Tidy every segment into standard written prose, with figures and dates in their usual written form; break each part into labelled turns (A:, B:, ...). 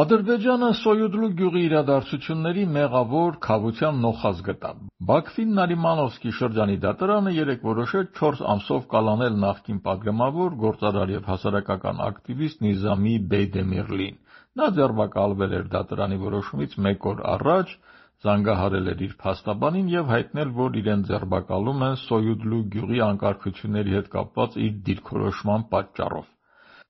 A: Ադրբեջանը Սոյուդլու գյուղի իրադարձությունների մեղավոր քավության նոխազ գտավ։ Բաքվին Նարիմանովսկի շրջանի դատարանը երեկ որոշեց 4 ամսով կալանել նախկին պատգամավոր, գործարար և հասարակական ակտիվիստ Նիզամի Բեյդեմիրլին։ Նա ձերբակալվել էր դատարանի որոշումից 1 օր առաջ, զանգահարել էր իր փաստաբանին և հայտնել, որ իրեն ձերբակալում են Սոյուդլու գյուղի անկարգությունների հետ կապված իր դիրքորոշման պատճառով։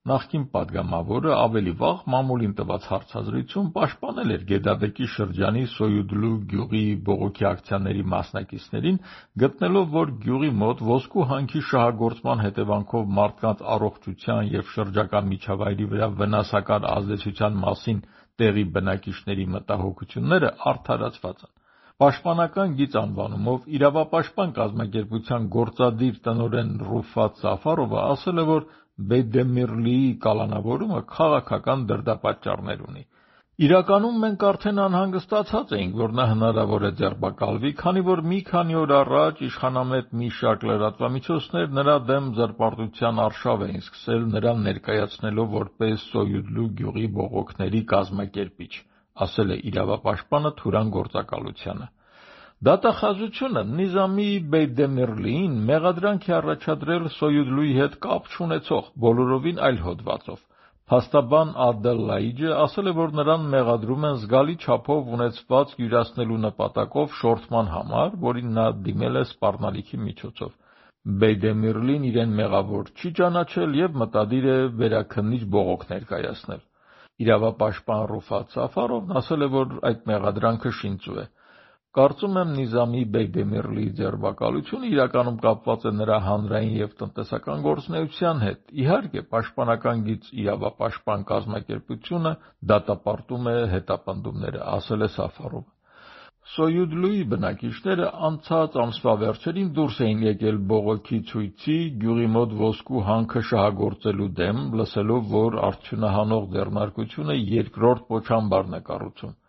A: Նախկին պատգամավորը ավելի վաղ մամուլին տված հարցազրույցում պաշտպանել էր Գեդաբեկի շրջանի Սոյուդլու գյուղի բողոքի ակցիաների մասնակիցներին, գտնելով, որ գյուղի մոտ ոսկու հանքի շահագործման հետևանքով մարդկանց առողջության և շրջակա միջավայրի վրա վնասակար ազդեցության մասին տեղի բնակիչների մտահոգությունները արդարացված են։ Պաշտպանական գիծ անվանումով իրավապաշտպան կազմակերպության գործադիր տնօրեն Ռուֆատ Սաֆարովը ասել է, որ Բեյդեմիրլիի կալանավորումը քաղաքական դրդապատճառներ ունի։ Իրականում մենք արդեն անհանգստացած էինք, որ նա հնարավոր է ձերբակալվի, քանի որ մի քանի օր առաջ իշխանամետ մի շարք լրատվամիջոցներ նրա դեմ ձերբակալության արշավ էին սկսել, նրան ներկայացնելով որպես Սոյուդլու գյուղի բողոքների կազմակերպիչ, ասել է իրավապաշտպանը Թուրան գործակալությանը։ Դատախազությունը Նիզամի Բեյդեմիրլիին մեղադրանք է առաջադրել Սոյուդլուի հետ կապ չունեցող բոլորովին այլ հոդվածով։ Փաստաբան Ադել Լայիջը ասել է, որ նրան մեղադրում են զգալի չափով ունեցվածք յուրացնելու նպատակով շորթման համար, որին նա դիմել է սպառնալիքի միջոցով։ Բեյդեմիրլին իրեն մեղավոր չի ճանաչել և մտադիր է վերաքննիչ բողոք ներկայացնել։ Իրավապաշտպան Ռուֆատ Սաֆարովն ասել է, որ այդ մեղադրանքը շինծու է։ Կարծում եմ Նիզամի Բեյդեմիրլիի ձերբակալությունը իրականում կապված է նրա հանրային և տնտեսական գործունեության հետ։ Իհարկե, պաշտպանական գիծ իրավապաշտպան կազմակերպությունը դատապարտում է հետապնդումները, ասել է Սաֆարովը։ Սոյուդլուի բնակիչները անցած ամսվա վերջերին դուրս էին եկել բողոքի ցույցի գյուղի մոտ ոսկու հանքը շահագործելու դեմ, լսելով, որ արդյունահանող ձեռնարկությունը երկրորդ պոչամբարն է կառուցում։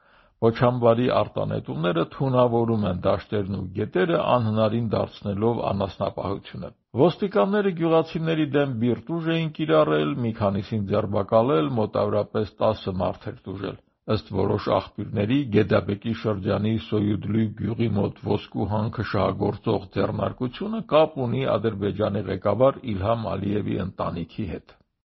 A: Պոչամբարի արտանետումները թունավորում են դաշտերն ու գետերը, անհնարին դարձնելով անասնապահությունը։ Ոստիկանները գյուղացիների դեմ բիրտ ուժ էին կիրառել, մի քանիսին ձերբակալել, մոտավորապես 10 մարդ էր տուժել։ Ըստ որոշ աղբյուրների, Գեդաբեկի շրջանի Սոյուդլու գյուղի մոտ ոսկու հանքը շահագործող ձեռնարկությունը կապ ունի Ադրբեջանի ղեկավար Իլհամ Ալիևի ընտանիքի հետ։